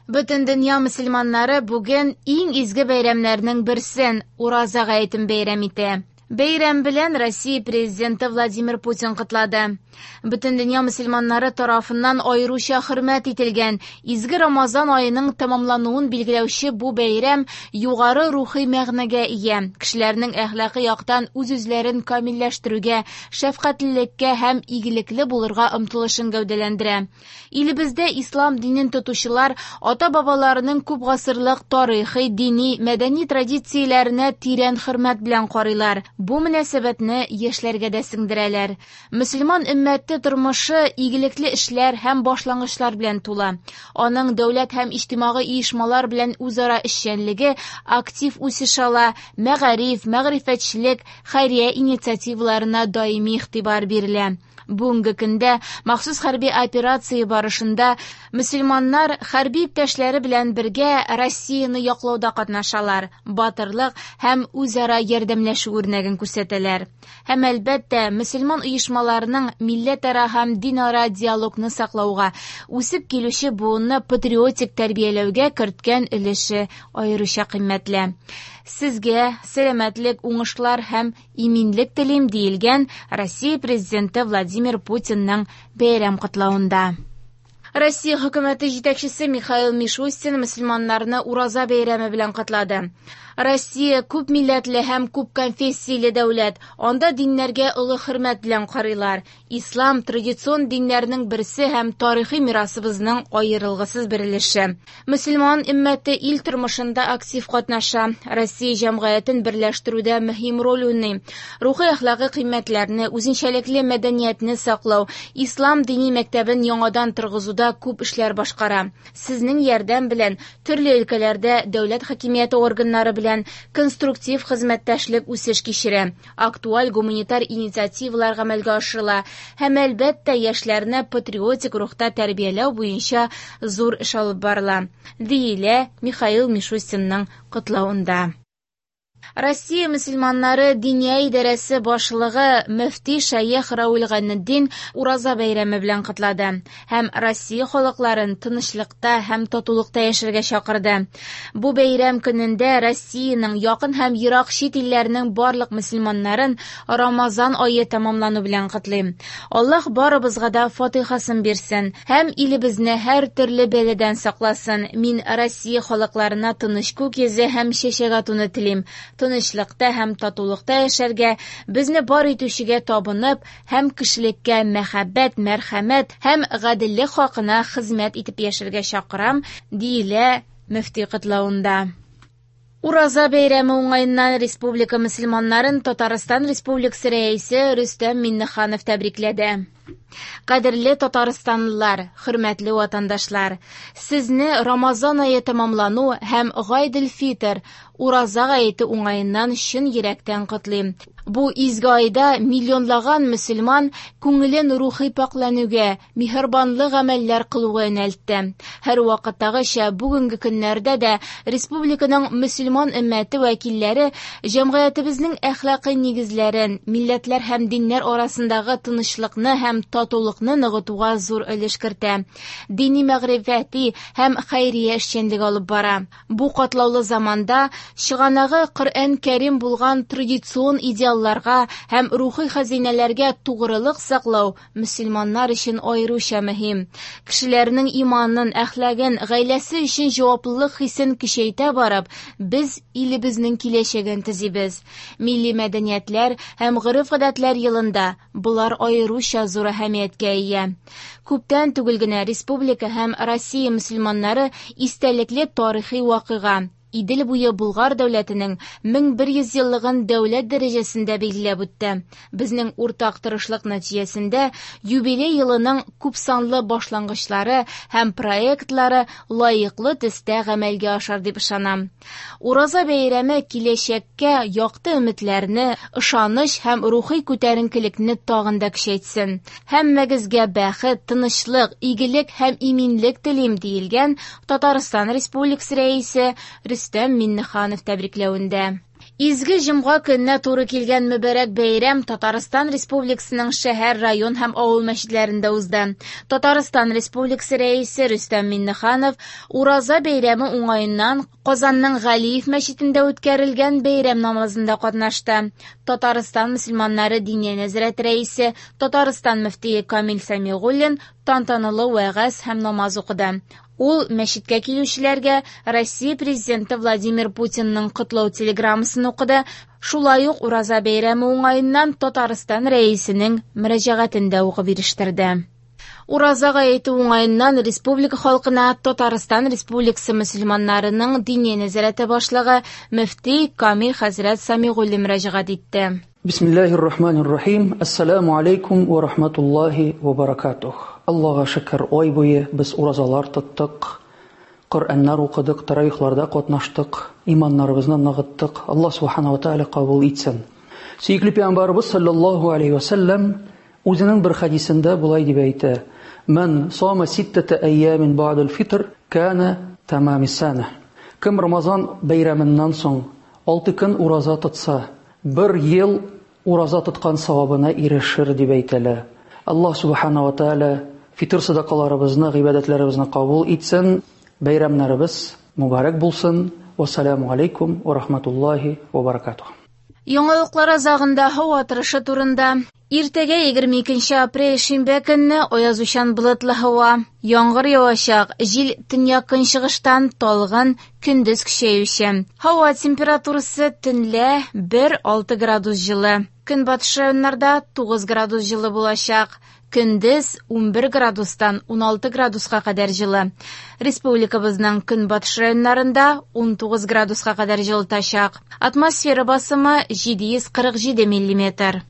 Бөтен дөнья мөселманнары бүген иң изге бәйрәмнәрнең берсен – Ураза гаетен бәйрәм итә. Бәйрәм белән Россия Президенты Владимир Путин котлады. Бөтен дөнья мөселманнары тарафыннан аеруча хөрмәт ителгән изге Рамазан аеның тәмамлануын билгеләүче бу бәйрәм югары рухи мәгънәгә ия. Кешеләрнең әхлакый яктан үз-үзләрен камилләштерүгә, шәфкатьлелеккә һәм игелекле булырга омтылышын гәүдәләндерә. Илебездә ислам динен тотучылар ата-бабаларының күп гасырлык тарихи, дини, мәдәни традицияләренә тирән хөрмәт белән карыйлар. Бу мөнәсәбәтне яшьләргә дә сеңдерәләр. Мөселман өммәте тормышы игелекле эшләр һәм башлангычлар белән тулы. Аның дәүләт һәм иҗтимагый оешмалар белән үзара эшчәнлеге актив үсеш ала, мәгариф, мәгърифәтчелек, хәйрия инициативаларына даими игътибар бирелә. Бүгенге көндә махсус хәрби операция барышында мөселманнар хәрби иптәшләре белән бергә Россияне яклауда катнашалар, батырлык һәм үзара ярдәмләшү үрнәген күрсәтәләр. Һәм әлбәттә, мөселман оешмаларының милләтара һәм динара диалогны саклауга, үсеп килүче буынны патриотик тәрбияләүгә керткән өлеше аеруча кыйммәтле. Сезгә сәламәтлек, уңышлар һәм иминлек телим, диелгән Россия Президенты Владимир Путинның бәйрәм котлавында. Россия хөкүмәте җитәкчесе Михаил Мишустин мөселманнарны Ураза бәйрәме белән котлады. Россия күп милләтле һәм күп конфессияле дәүләт. Анда диннәргә олы хөрмәт белән карыйлар. Ислам традицион диннәрнең берсе һәм тарихи мирасыбызның аерылгысыз бер өлеше. Мөселман өммәте ил тормышында актив катнаша. Россия җәмгыятен берләштерүдә мөһим роль уйный. Рухи әхлакый кыйммәтләрне, үзенчәлекле мәдәниятне саклау, ислам дини мәктәбен яңадан торгызуда күп эшләр башкара. Сезнең ярдәм белән төрле өлкәләрдә дәүләт хакимияте органнары белән конструктив хезмәттәшлек үсеш кичерә. Актуаль гуманитар инициативалар гамәлгә ашырыла һәм әлбәттә яшьләрне патриотик рухта тәрбияләү буенча зур эш алып барыла, диелә Михаил Мишустинның котлавында. Россия мөселманнары Диния идарәсе башлыгы мөфти шәех Равил Гайнетдин Ураза бәйрәме белән котлады һәм Россия халыкларын тынычлыкта һәм татулыкта яшәргә чакырды. Бу бәйрәм көнендә Россиянең якын һәм ерак чит илләренең барлык мөселманнарын Рамазан ае тәмамлану белән котлыйм. Аллаһ барыбызга да фатихасын бирсен һәм илебезне һәр төрле бәладән сакласын. Мин Россия халыкларына тыныч күк йөзе һәм чәчәк атуны телим. Тынычлыкта һәм татулыкта яшәргә, безне бар итүчегә табынып һәм кешелеккә мәхәббәт, мәрхәмәт һәм гаделлек хакына хезмәт итеп яшәргә чакырам, диелә мөфти котлавында. Ураза бәйрәме уңаеннан республика мөселманнарын Татарстан Республикасы рәисе Рөстәм Миңнеханов тәбрикләде. Кадерле татарстанлылар, хөрмәтле ватандашлар, сезне Рамазан ае тәмамлану һәм Гайдел-Фитр, Ураза гаете уңаеннан чын йөрәктән котлыйм. Бу изге айда миллионлаган мөселман күңелен рухи пакьләнүгә, миһербанлы гамәлләр кылуга юнәлтте. Һәр вакыттагыча бүгенге көннәрдә дә республиканың мөселман өммәте вәкилләре җәмгыятебезнең әхлакый нигезләрен, милләтләр һәм диннәр арасындагы тынычлыкны һәм татулыкны ныгытуга зур өлеш кертә. Дини мәгърифәти һәм хәйрия эшчәнлеге алып бара. Бу катлаулы заманда чыганагы Коръән Кәрим булган традицион идеалларга һәм рухи хәзинәләргә тугрылык саклау мөселманнар өчен аеруча мөһим. Кешеләрнең иманын, әхлагын, гаиләсе өчен җаваплылык хисен көчәйтә барып, без илебезнең киләчәген төзибез. Милли мәдәниятләр һәм гореф-гадәтләр елында болар аеруча зур әһәмияткә ия. Күптән түгел генә республика һәм Россия мөселманнары истәлекле тарихи вакыйга Идел буе Булгар дәүләтенең 1100 еллыгын дәүләт дәрәҗәсендә билгеләп үтте. Безнең уртак тырышлык нәтиҗәсендә юбилей елының күпсанлы башлангычлары һәм проектлары лаеклы төстә гамәлгә ашар дип ышанам. Ураза бәйрәме киләчәккә якты өметләрне, ышаныч һәм рухи күтәренкелекне тагын да көчәйтсен. Һәммәгезгә бәхет, тынычлык, игелек һәм иминлек телим, диелгән Татарстан Республикасы Рәисе Рөстәм Миңнеханов тәбрикләвендә. Изге җомга көненә туры килгән мөбарәк бәйрәм Татарстан Республикасының шәһәр, район һәм авыл мәчетләрендә узды. Татарстан Республикасы Рәисе Рөстәм Миңнеханов Ураза бәйрәме уңаеннан Казанның Галиев мәчетендә үткәрелгән бәйрәм намазында катнашты. Татарстан мөселманнары Диния нәзарәте рәисе, Татарстан мөфтие Камил Сәмигуллин тантаналы вәгазь һәм намаз укыды. Ул мәчеткә килүчеләргә Россия Президенты Владимир Путинның котлау телеграммасын укыды, шулай ук Ураза бәйрәме уңаеннан Татарстан Рәисенең мөрәҗәгатен дә укып ирештерде. Ураза гаете уңаеннан республика халкына Татарстан Республикасы мөселманнарының Диния нәзарәте башлыгы мөфти Камил хәзрәт Самигуллин мөрәҗәгать итте. Бисмиллаһир рахманир рахим. Ассаламу алейкум ва рахматуллахи ва баракатух. Аллага шөкер, ай буе без уразалар тоттык, Коръәннәр укыдык, таравихларда катнаштык, иманнарыбызны ныгыттык. Аллаһ субхана ва тааля кабул итсен. Сөекле пәйгамбәребез саллаллаһу алейхи ва сәлләм үзенең бер хәдисендә болай дип әйтә: "Ман сама ситтата айямин бa'дал фитр кана тамами сана". Кем Рамазан бәйрәменнән соң 6 көн ураза тотса, бер ел ураза тоткан савабына ирешер дип әйтелә. Аллаһ субхана ва тааля фитр садакаларыбызны, гыйбадәтләребезне кабул итсен, бәйрәмнәребез мубарак булсын. Вассаламу алейкум ва рахматуллахи ва баракатух. Яңалыклар азагында һава торышы турында. Иртәгә 22 апрель шимбә көнне аязучан болытлы һава. Яңгыр явачак, җил төньяк-көнчыгыштан талгын, көндез көчәюче. Һава температурасы төнлә 1-6 градус җылы. Көнбатыш районнарда 9 градус җылы булачак. Көндез 11 градустан 16 градуска кадәр җылы. Республикабызның көнбатыш районнарында 19 градуска кадәр җылытачак. Атмосфера басымы 747 миллиметр.